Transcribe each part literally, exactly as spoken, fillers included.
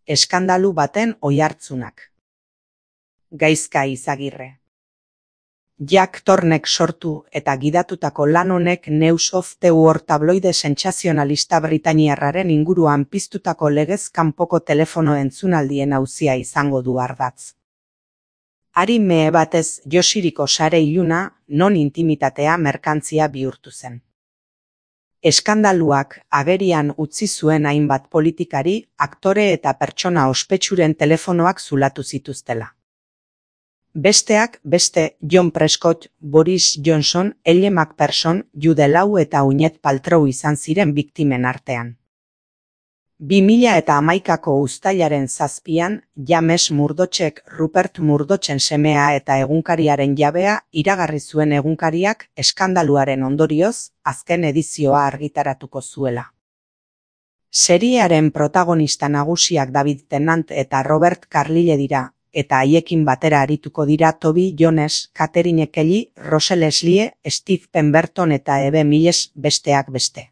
eskandalu baten oihartzunak. Gaizka Izagirre. Jack Thornek sortu eta gidatutako lan honek News of the World tabloide sentsazionalista britainiarraren inguruan piztutako legez kanpoko telefono entzunaldien auzia izango du ardatz. Hari mehe batez josiriko sare iluna, non intimitatea merkantzia bihurtu zen. Eskandaluak agerian utzi zuen hainbat politikari, aktore eta pertsona ospetsuren telefonoak zulatu zituztela. Besteak beste John Prescott, Boris Johnson, Elle Macpherson, Jude Law eta Gwyneth Paltrow izan ziren biktimen artean. bi mila hamaikako uztailaren zazpian, James Murdochek Rupert Murdochen semea eta egunkariaren jabea iragarri zuen egunkariak eskandaluaren ondorioz azken edizioa argitaratuko zuela. Seriearen protagonista nagusiak David Tennant eta Robert Carlyle dira, eta haiekin batera arituko dira Toby Jones, Catherine Kelly, Rose Leslie, Steve Pemberton eta Eve Miles besteak beste.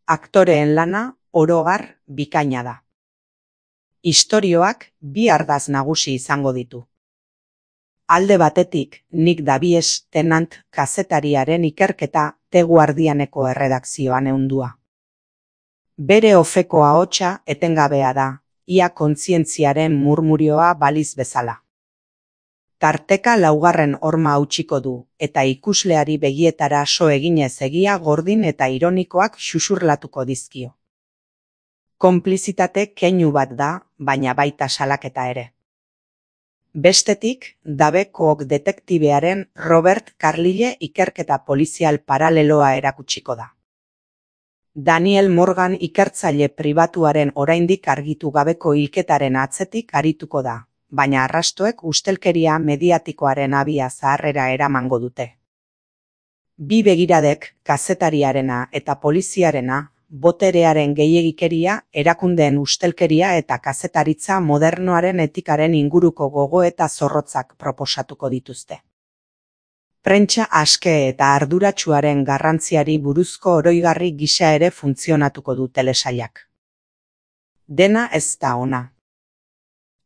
Aktoreen lana orogar bikaina da. Istorioak bi ardatz nagusi izango ditu. Alde batetik, Nick Davies Tennant kazetariaren ikerketa The Guardianeko erredakzioan ehundua. Bere ofeko ahotsa etengabea da, ia kontzientziaren murmurioa baliz bezala. Tarteka laugarren horma hautsiko du, eta ikusleari begietara so eginez egia gordin eta ironikoak xuxurlatuko dizkio. Konplizitate keinu bat da, baina baita salaketa ere. Bestetik, Dabekok detektibearen Robert Carlyle ikerketa polizial paraleloa erakutsiko da. Daniel Morgan ikertzaile pribatuaren oraindik argitu gabeko hilketaren atzetik arituko da, baina arrastoek ustelkeria mediatikoaren abia zaharrera eramango dute. Bi begiradek, kazetariarena eta poliziarena, boterearen gehiegikeria, erakundeen ustelkeria eta kazetaritza modernoaren etikaren inguruko gogoeta zorrotzak proposatuko dituzte. Prentsa aske eta arduratsuaren garrantziari buruzko oroigarri gisa ere funtzionatuko du telesailak. Dena ez da ona.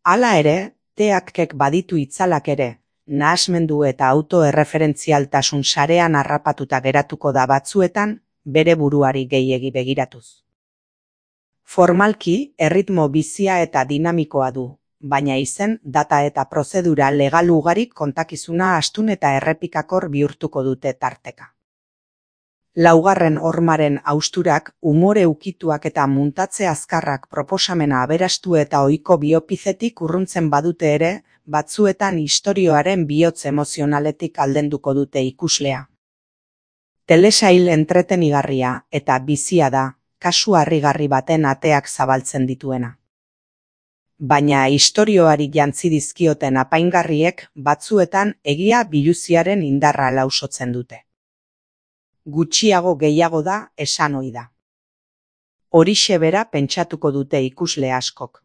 Hala ere, teakek baditu itzalak ere, nahasmendu eta autoerreferentzialtasun sarean harrapatuta geratuko da batzuetan, bere buruari gehiegi begiratuz. Formalki, erritmo bizia eta dinamikoa du, baina izen, data eta prozedura legal ugarik kontakizuna astun eta errepikakor bihurtuko dute tarteka. Laugarren hormaren hausturak, umore ukituak eta muntatze azkarrak proposamena aberastu eta ohiko biopizetik urruntzen badute ere, batzuetan istorioaren bihotz emozionaletik aldenduko dute ikuslea. Telesail entretenigarria eta bizia da, kasu harrigarri baten ateak zabaltzen dituena. Baina istorioari jantzi dizkioten apaingarriek batzuetan egia biluziaren indarra lausotzen dute. Gutxiago gehiago da esan ohi da. Horixe bera pentsatuko dute ikusle askok.